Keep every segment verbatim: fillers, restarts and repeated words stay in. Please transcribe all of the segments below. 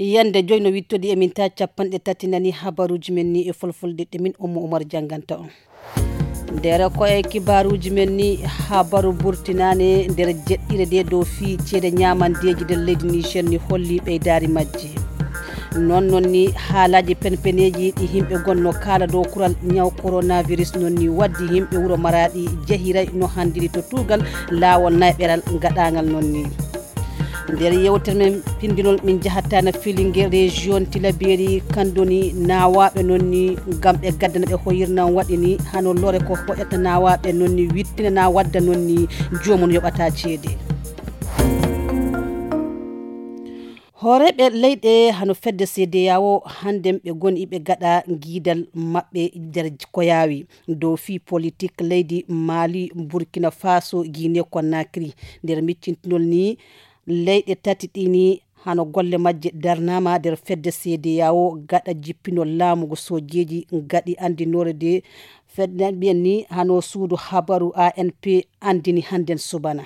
Yande joy no wittodi e min ta capanɗe tati nani habaruji men ni e folfolde ɗe min Ummu Umar janganta on. Nder ko e kibaruji men ni, habaru burtinane nder jeɗɗire de dow fii ceede ñamandeji nder leydi Niger ni holli ɓeydari majji. Non non ni haalaji penpeneji ɗi himɓe gonno kala dow kural ñaw coronavirus non ni waddi himɓe wuro Maraɗi jehiray no handiri to tugal laawol nayɓeral gaɗagal non ni. Nder yewtere men pindinol min jahatta na filinge région Tilaberi kandoni nawaɓe non ni ngam ɓe gaddana ɓe hoyirnan waɗi ni hano lore ko hoƴata nawaɓe non ni wittinana wadda non ni jomum yoɓata ceede. Hooreeɓe leyɗe hano fedde C D A O hannden ɓe goni ɓe gaɗa giidal maɓɓe nder ko yaawi dow fii politik leydi Mali, Burkina Faso, Guinée Conakry. Nder miccintinol ni leyɗe tati ɗini hano golle majje darnama nder fedde C D A O gaɗa jippinol laamu ngo sojeeji gaɗi andinore de fedde mbiyen ni hano suudu habaru A N P andini hannden subana.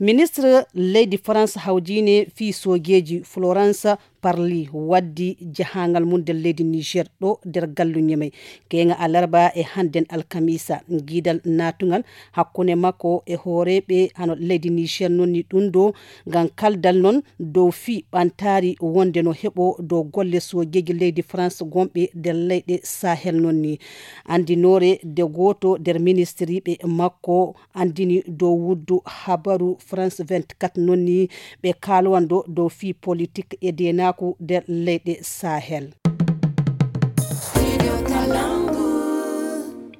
Ministre leydi France hawjine fii sojeeji Florence Parly waddi jahangal mum nder leydi Niger ɗo nder gallu Ñemey. Keŋa alarba e hannden alkamisa, giidal natungal hakkunde makko e hooreeɓe hano leydi Niger non ni ɗum ɗo ngam kaldal non dow fii ɓantaari wonde no heɓo dow golle sojeeji leydi France gonɓe nder leyɗe Sahel non ni. Andinoore de gooto nder ministiriiɓe makko andini dow wuddu habaru France vingt-quatre non ni ɓe kalwando dow fii politik e denaku nder leyɗe Sahel.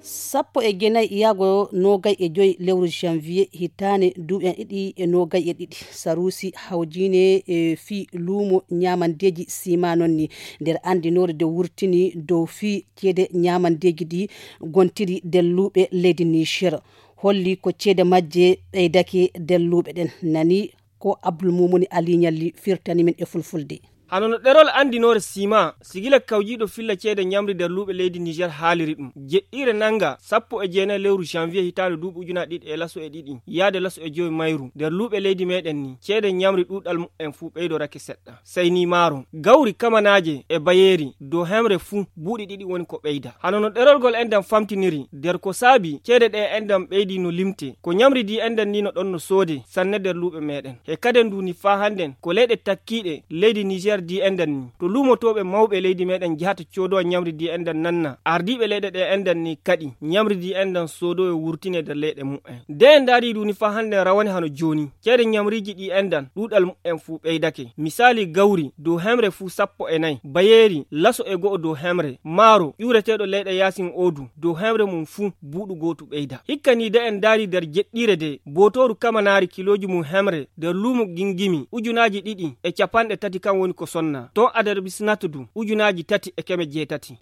Sappo e jeenayi yaago nogay e joy lewru janvier hitaane duuɓi en ɗiɗi e nogay e ɗiɗi, Sarusi hawjine e fii luumo ñaamandeeji sima non ni nder andinoore de wurtini dow fii ceede ñaamandeeji ɗi gontiri nder luuɓe leydi Niger. Holli ko ceede majje ɓeydake nder luuɓe ɗen. Nani ko Abdul Mumuni Ali Ñalli firtani min e fulfulde. Hano no ɗerol andinoore sima, sigila kawjiiɗo filla ceede ñamri nder luuɓe leydi Niger haaliri ɗum. Jeɗɗire nanga sappo e jeenayi lewru janvier hitaande duuɓi ujunaaji ɗiɗi e laso e ɗiɗi, yaade laso e jowi mayru. Nder luuɓe leydi meɗen ni, ceede ñamri ɗuuɗal mu'en fuu ɓeydorake seɗɗa. Sey ni maaro, gawri kamanaaje e bayeeri dow hemre fuu buuɗi ɗiɗi woni ko ɓeyda. Hano no ɗerol ngol enɗam famtiniri, nder ko saabi ceede ɗe enɗam ɓeydi no limte. Ko ñamri di enɗam ni no ɗon no soode sanne nder luuɓe meɗen. He kaden ndu ni faa hannden ko leyɗe takkiiɗe leydi Niger di enɗam ni. To luumotooɓe mawɓe leydi meɗen njahata coodowa ñamri di enɗam nanna. Ardiiɓe leyɗe ɗe enɗam ni kaɗi ñamri di enɗam soodowe wurtine nder leyɗe mu'en. Nde en ndaari ndu ni faa hannden rawane hano jooni. Ceede ñamriiji ɗi enɗan, ɗuuɗal mu'en fuu ɓeydake. Misaali gawri, dow hemre fuu sappo e nayi, bayeeri, laso e go'o dow hemre, maaro, ƴuureteeɗo leyɗe yaasin oodu, dow hemre mum fuu buuɗu gootu ɓeyda. Hikka ni de en ndaari nder jeɗɗiire de, bootooru kamanaari kilooji mum hemre, nder luumo gingimi, ujunaaji ɗiɗi e capanɗe tati kan woni ko sonna. Ton adarbisnatu du, ujunaaji tati e keme jeetati.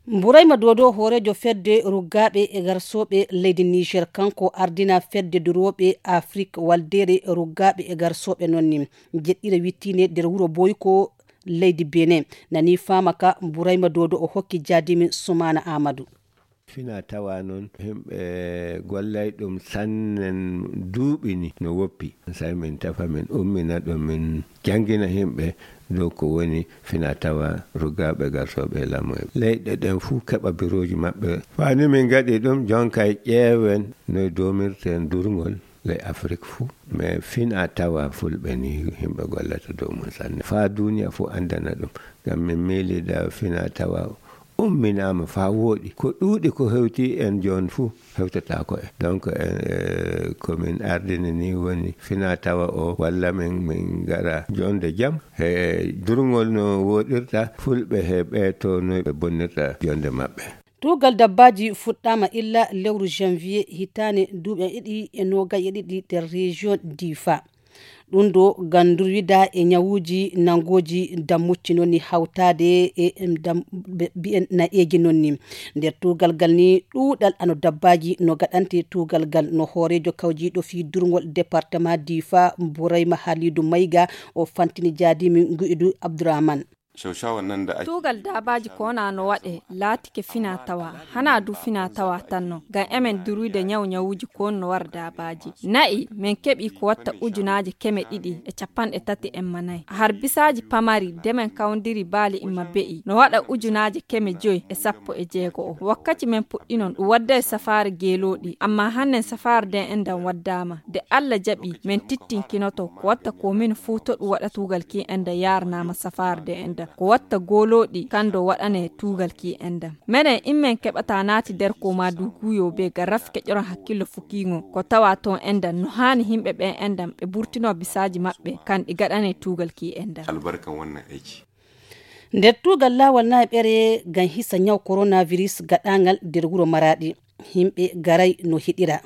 Burayma Dodo, hooreejo fedde ruggaaɓe e garsooɓe leydi Niger, kanko ardina fedde durooɓe Afrik waldeere ruggaaɓe e garsooɓe non ni. Jeɗɗire wittine nder wuro Boyko leydi Benin. Nani faama ka Burayma Dodo o hokki jaadimin Sumaana Amadou. Fina tawa noon, yimɓe gollay ɗum sannen duuɓi ni no woppi. Sai min tefa, min ummina ɗum, min janngina yimɓe dow ko woni fina tawa ruggaaɓe garsooɓe e lamu e leyɗe ɗen fuu keɓa birooji maɓɓe. Faa ni min ngaɗi ɗum, jonkay ƴeewen noy doomirten durngol ley Afrik fuu. Mais fina tawa fulɓe ni yimɓe gollata dow mum sanne. Faa duuniya fuu anndana ɗum. Ngam min miilida fina tawa umminaama faa wooɗi. Ko ɗuuɗi ko hewti en jooni fuu hewtataako en. Donc, en, eh, ko min ardini ni woni fina tawa o walla min, min ngara jonde jam. He durngol no wooɗirta fulɓe he ɓe to no ɓe bonnirta jonde maɓɓe. Tuugal dabbaaji fuɗɗaama illa lewru janvier hitaande duuɓi en ɗiɗi e noogay e ɗiɗi nder région Difa. Ɗum ɗo ngam ndurwida e ñawuuji nanngooji dammucci noon ni hawtaade e dam-, be-, mbiyen nayeeji noon ni. Nder tuugal ngal ni ɗuuɗal ano dabbaaji no gaɗante tuugal ngal no hooreejo kawjiiɗo fii durngol département Difa Burayma Halidu Mayga o fantini jaadiimi Nguidu Abdourahmane. Cawcawa nan da ake. Tuugal daabaaji ko wona no waɗe laatike finaa tawa, hanaa du finaa tawa tan no, ngam emen duruyde ñaw ñawuuji ko woni no wara daabaaji. Na'i, men keɓi ko watta ujunaaje keme ɗiɗi e capanɗe tati en ma nayi. Har bisaaji pamari de men kawndiri baali imma be'i, no waɗa ujunaaje keme joy e sappo e jeego o. Wakkati men puɗɗinon, ɗum wadda e safaare geelooɗi, amma hannen safaare de en dan waddaama. De Alla jaɓi, men tittinkinoto ko watta ko min fuu to ɗum waɗa tuugal ki en dan yaaranaama safaare de en dan. Ko watta goolooɗi kan do waɗane tuugal ki en dan. Menen in men keɓata naati der ko ma du guuyo be ga raf keƴoron hakkillo fukiŋo. Ko tawa ton en dan no haani himɓe ɓen en dan ɓe burtino bisaaji maɓɓe kan ɗi gaɗane tuugal ki en dan. Albarkan wannan aiki. Nder tuugal laawol nayi ɓere ngam hisa ñaw coronavirus gaɗaaŋgal nder wuro Maraaɗi, yimɓe garay no hiɗira.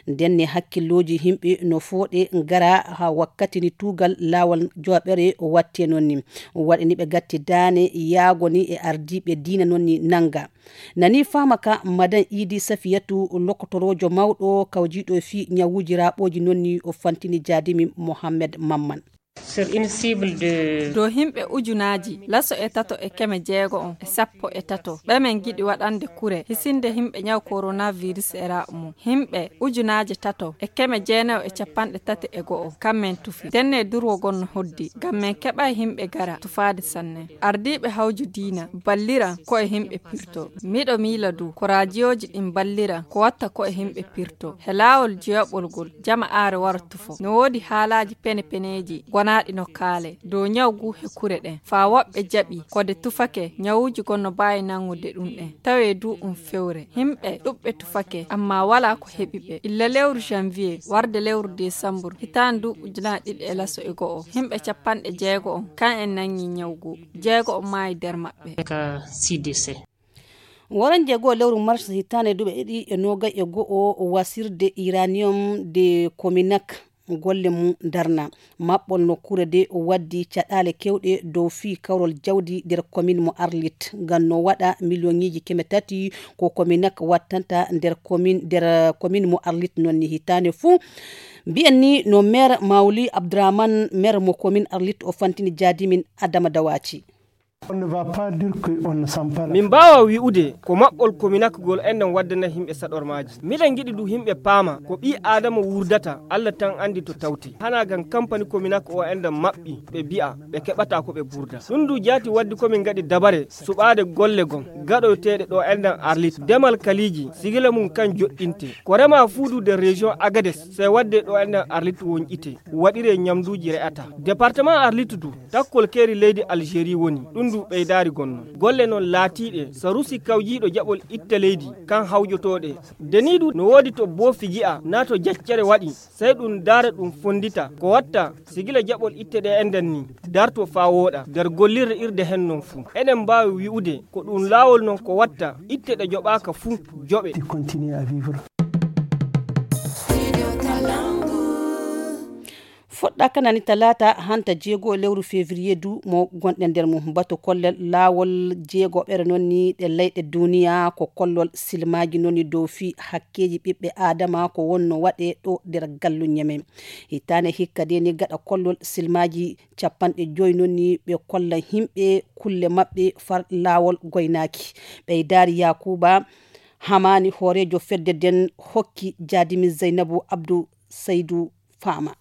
Ndenne hakkillooji yimɓe no fooɗe ngara haa wakkati ni tuugal laawol jowaɓere watte noon ni. Waɗani ɓe gatti daane yaago ni e ardiiɓe diina noon ni nannga. Nani faama ka Madan Idi Safiyatu, lokotoroojo mawɗo kawjiiɗo fii ñawuuji raaɓooji noon ni o fantini jaadimi Mohammed Mamman. Sur une cible de dow himɓe ujunaaji laso e tato e keme jeego on e sappo e tato ɓe men giɗi waɗande kure hisinde himɓe ñaw coronavirus e raɓ mum. Himɓe ujunaaje tato e keme jeenayo e capanɗe tati e go'o kan men tufi. Denne durwogol no hoddi ngam men keɓay himɓe gara tufaade sanne. Ardiiɓe hawju diina ballira ko e himɓe pirto. Miɗo miila du ko raajiyooji ɗin ballira ko watta ko e himɓe pirto. He laawol joyaɓol ngol, jama aare wara tufo. No woodi haalaaji pene-peneeji gonaaɗi no kaale dow ñaw ngu he kure ɗen. Faa woɓɓe jaɓi ko de tufake ñawuuji gon no mbaawi nangude ɗum ɗen. Tawee du ɗum fewre. Himɓe ɗuɓɓe tufake, amma walaa ko heɓi ɓe. Illa lewru janvier, warde lewru desambur, hitaande ndu ujunaaji ɗiɗi e laso e go'o, himɓe capanɗe jeego on, kan en nangi ñaw ngu. Jeego on maayi der maɓɓe. Ka C D C. Waran jeego lewru mars hitaande duuɓi ɗiɗi e noogay e go'o, wasirde uranium de Cominac golle mum darna. Maɓɓol nokkuure de waddi caɗaale kewɗe dow fii kawrol jawdi nder komin mo Arlit. Ngam no waɗa miliyoŋiiji keme tati ko Cominac wattanta nder komin, nder komin mo Arlit non ni hitaande fuu. Mbiyen ni no maire Mawli Abdourahmane, maire mo komin Arlit o fantini jaadimin Adama Dawaci. On ne va pas dire que on ne sent pas la Min mbaawa wi'ude ko maɓɓol kominakgol enɗen waddana yimɓe saɗormaaji. Miɗen ngiɗi du yimɓe paama ko ɓii Aadama wurdata, Allah tan anndi to tawti. Hanaa ngam kampani kominak o enɗen maɓɓi, ɓe mbi'a ɓe keɓataa ko ɓe burda. Ɗum du jaati waddi ko min ngaɗi dabare suɓaade golle gom gaɗoyteeɗe ɗo enɗen Arlit. Demal kaliiji, sigila mum kan joɗɗinte. Ko remaa fuu du nder région Agadez, sey wadde ɗo enɗen Arlit wonƴite, waɗiree ñamduuji re'ataa. Département Arlit du, takkol keeri leydi Algérie woni, ɗum du ɓeydaari gonno. Golle noon laatiiɗe, sarusi kawjiiɗo jaɓol itte leydi, kan hawjotooɗe. Deniiɗu no woodi to boofi gi'a, naa to jaccere waɗi, sey ɗum daara ɗum fonndita. Ko watta, sigila jaɓol itte ɗe enɗen ni, darto faa wooɗa, nder gollirde irde hen noon fuu. Eɗen mbaawi wi'ude, ko ɗum laawol noon ko watta, itte ɗe joɓaaka fuu, joɓe. Ti continue à vivre. Fuɗɗa kanani talaata hanta jeego lewru février du mo gonɗen nder mum. Batu kollel laawol jeegoɓere noon ni ɗe leyɗe duniya ko kollol silmaaji noon ni dow fii hakkeeji ɓiɓɓe Aadama ko wonno waɗe ɗo nder galluñe men. Hitaande hikka de ni gaɗa kollol silmaaji capanɗe joyi noon ni ɓe kolla yimɓe kulle maɓɓe far laawol goynaaki. Ɓeydaari Yaakuuba Hamaani hooreejo fedde nden hokki jaadimi Zeynabu Abdu Saydu Faama.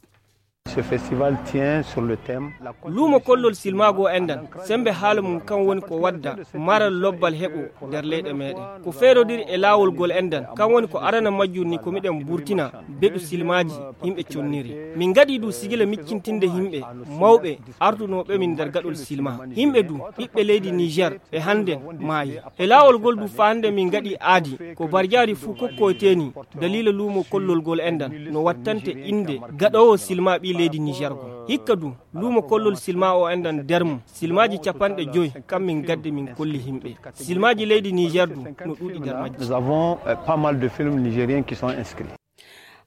Ce festival tient sur le thème la Luumo kollol silmaago enɗan, sembe haala mum kan woni ko wadda maral lobbal heɓo nder leyɗe meɗen. Ko feerodiri e laawol gol enɗan, kan woni ko arana majjum ni ko miɗen burtina beɗu silmaaji yimɓe conniri. Min ngaɗi du sigila miccintinde yimɓe mawɓe ardunooɓe min nder gaɗol silma. Yimɓe du ɓiɓɓe leydi Niger ɓe hannden maayi. E laawol gol du faa hannde min ngaɗi aadi ko barjaari fuu kokkoyteeni daliila luumo kollol gol enɗan no wattante innde gaɗoowo silma ɓii leydi Niger gol. Hikka du luumo kollol silma o enɗan nder mum silmaaji capanɗe joy kam min gaddi min kolli yimɓe. Silmaaji leydi Niger du no ɗuuɗi nder majji. Nous avons, euh, pas mal de films nigériens qui sont inscrits.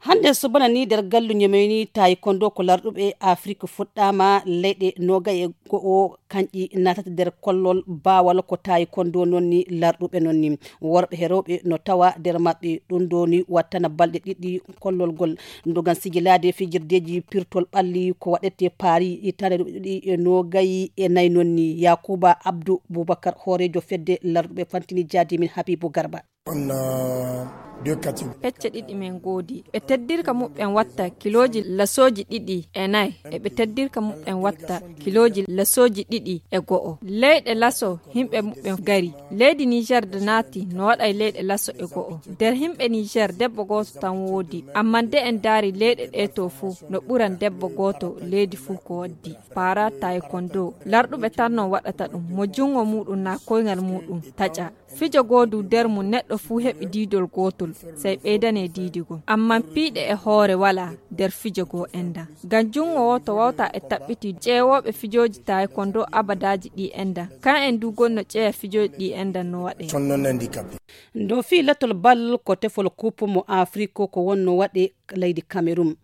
Hannde subana ni nder gallu Ñemey ni taekwondo ko larɗuɓe Afrik fuɗɗaama leyɗe noogay e go'o kanƴi naatata nder kollol baawal ko taekwondo noon ni larɗuɓe noon ni. Worɓe e rewɓe no tawa nder maɓɓe ɗum ɗo ni wattana balɗe ɗiɗi kollol ngol. Ndogan sigilaade fijirdeeji pirtol ɓalli ko waɗete Paris hitaande ɗiɗi e noogay e nayi noon ni. Yakuba Abdou Boubacar hooreejo fedde larɗuɓe fantini jaadi min Habibu Garba. On a deux catégories. Pecce ɗiɗi men ngoodi. Ɓe teddirka muɓɓen watta kilooji lasooji ɗiɗi e nayi. E ɓe teddirka muɓɓen watta kilooji lasooji ɗiɗi e go'o. Leyɗe laso himɓe muɓɓen gari. Leydi Niger de naati no waɗa e leyɗe laso e go'o. Nder himɓe Niger debbo gooto tan woodi. Amma nde en daari leyɗe ɗe to fuu no ɓuran debbo gooto leydi fuu ko waddi. Para taekwondo. Larɗuɓe tan non waɗata ɗum. Mo junngo muuɗum na koyngal muuɗum taƴa. Fijo goodu nder mum neɗɗo fuu heɓi diidol gootol, sey ɓeydane diidigol. Ammaa piiɗe e hoore walaa nder fijo goo enda. Ngam junngo wooto wawta e taɓɓiti ƴeewooɓe fijooji taekwondo abadaaji ɗi enda. Kan en du gonno ƴeeya fijooji ɗi enda no waɗe. Sont non handicapés. Ndo fii lattol bal ko tefol kuupu mo Afrik ko wonno waɗe leydi Cameroun.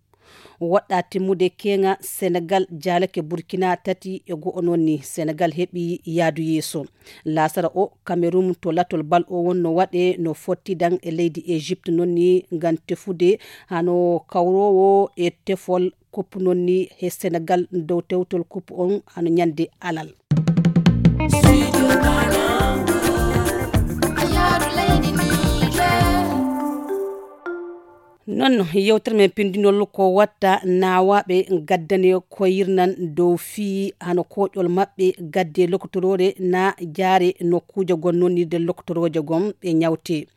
Woɗɗa timmude keeŋa Senegal jaalake Burkina tati e go'o noon ni Senegal heɓi yaadu yeeso. Laasara o Cameroun to latol bal o wonno waɗe no fottidan e leydi Egypte noon ni ngam tefude hano kawroowo e tefol kup noon ni he Senegal dow tewtol kup on hano ñande alal. Noon yewtere men pindinol ko watta naawaaɓe gaddane ko yirnan dow fii hano koƴol maɓɓe gadde lokotoroore na jaare nokkuuje gon nonnirde lokotorooje gon ɓe ñawte.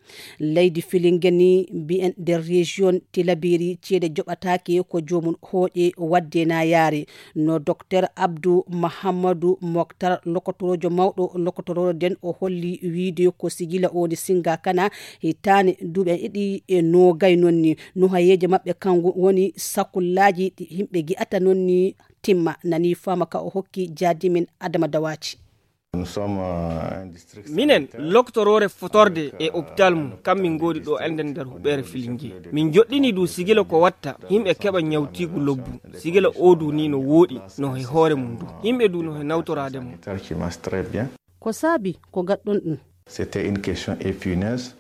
Leydi Filinge ni mbiyen nder région Tilaberi ceede joɓataake ko joomum hooƴe wadde na yaare. No Docteur Abdou Mahamadou Moctar, lokotoroojo mawɗo lokotoroojo nden, o holli wiide ko sigila o woni singa kana hitaane duuɓi ɗiɗi e noogay noon ni. Nuhayeeje maɓɓe kanko woni sakullaaji ɗi yimɓe gi'ata noon ni timma. Nani faama ka o hokki jaadimin Adama Dawaaji. Minen, loktoroore fotorde e opitaal mum, kam min ngoodi ɗo enden nder huɓeere Filinge. Min joɗɗini du sigila ko watta, yimɓe keɓa ñawtiigu lobbu. Sigila oo du ni no wooɗi, no he hoore mum du. Yimɓe du no he nawtoraade mum. Ko saabi ko gaɗɗon ɗum? C'était une question épineuse.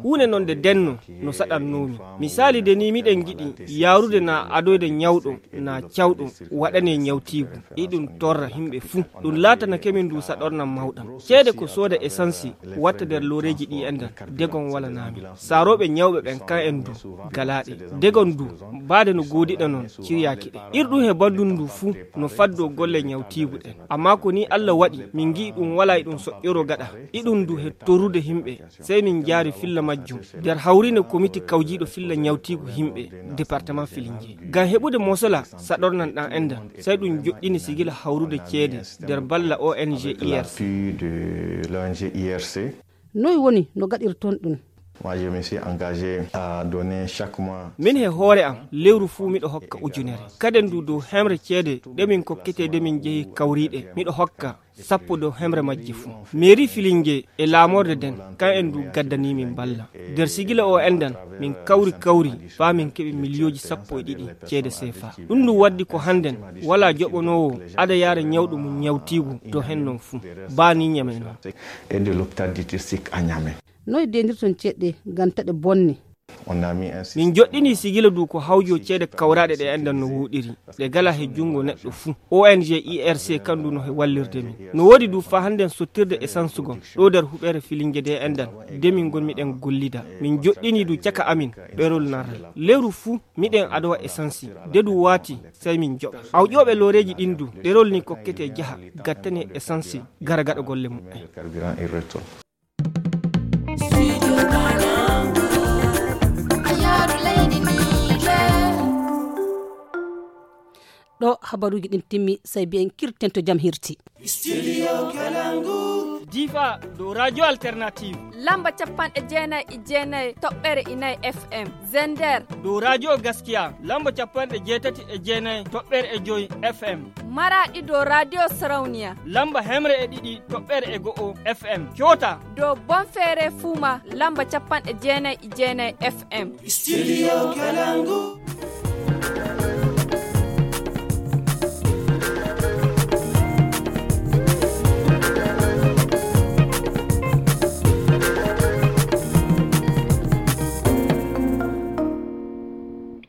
Huunde non nde denno no saɗannoomi. Misaali de ni miɗen ngiɗi yaarude na adoyde ñawɗo na cawɗo waɗane ñawtiigu. Iɗum torra himɓe fuu. Ɗum laatana kemin ndu saɗornan mawɗam. Ceede ko sooda esansi watta nder looreeji ɗi endan. Degon walanaamin. Saarooɓe ñawɓe ɓen kan en du galaaɗe. Degon du baade no goodiɗa non ciryaaki ɗe. Irɗum he banndum ndu fuu no faddoo golle ñawtiigu ɗen. Ammaa ko ni Alla waɗi min ngi'i ɗum walaa iɗum soƴƴoroo gaɗa. Iɗum du he torrude himɓe. Sey min njaari filla majjum nder hawriinde komiti kawjiiɗo filla ñawtiigu yimɓe departement Filinge. Ngam heɓude mosola saɗornan ɗan endan, sey ɗum joɗɗini sigila hawrude ceede nder balla O N G I R C. Noy woni no gaɗirton ɗum? Moi, je me suis engagé à donner chaque mois. Min he hoore am, lewru fuu miɗo hokka ujunere. Kaden du dow hemre ceede ɗe min kokkete de min jehi kawriiɗe, miɗo hokka sappo dow hemre majje fuu. Mairie Filinge e laamorde nden, kan en du gaddani min balla. Nder sigila o endan, min kawri kawri faa min keɓi miliyooji sappo e ɗiɗi ceede C F A. Ɗum ndu waddi ko hannden walaa joɓonoowo ada yaara ñawɗo mum ñawtiigu to hen non fuu. Baa ni Ñamey non. Et de l'hôpital district à Niamey. Noy dendirton ceɗɗe ngam taɗe bonne? On a mis ainsi. Min joɗɗini sigila du ko hawjo ceede kawraaɗe ɗe endan no woɗiri. Ɗe gala he junngo neɗɗo fuu. O N G I R C kan du no he wallirde min. No woodi du faa hannden sottirde essence gon. Ɗo nder huɓeere Filinge de endan. De min ngon miɗen gollida. Min joɗɗini du caka amin. Ɓerol narre. Lewru fuu miɗen adowa essence. De du waati sey min joɓa. Awƴooɓe looreeji ɗin du. Ɗerol ni kokkete jaha. Gattane essence. Gara gaɗa golle muɓɓen. Carburant et retour. Ɗo habaruuji ɗin timmi, sey mbiyen kirten to jam hirti. Studio Kalangu. Difa dow Radio Alternative. Lamba capanɗe jeenayi e jeenayi toɓɓere inayi F M. Zender. Dow Radio Gaskiya. Lamba capanɗe jeetati e jeenayi toɓɓere e joyi F M. Maraɗi dow Radio Sarauniya. Lamba hemre e ɗiɗi toɓɓere e go'o F M. Kyota. Dow Bonfere Fuma. Lamba capanɗe jeenayi e jeenayi F M. Studio Kalangu.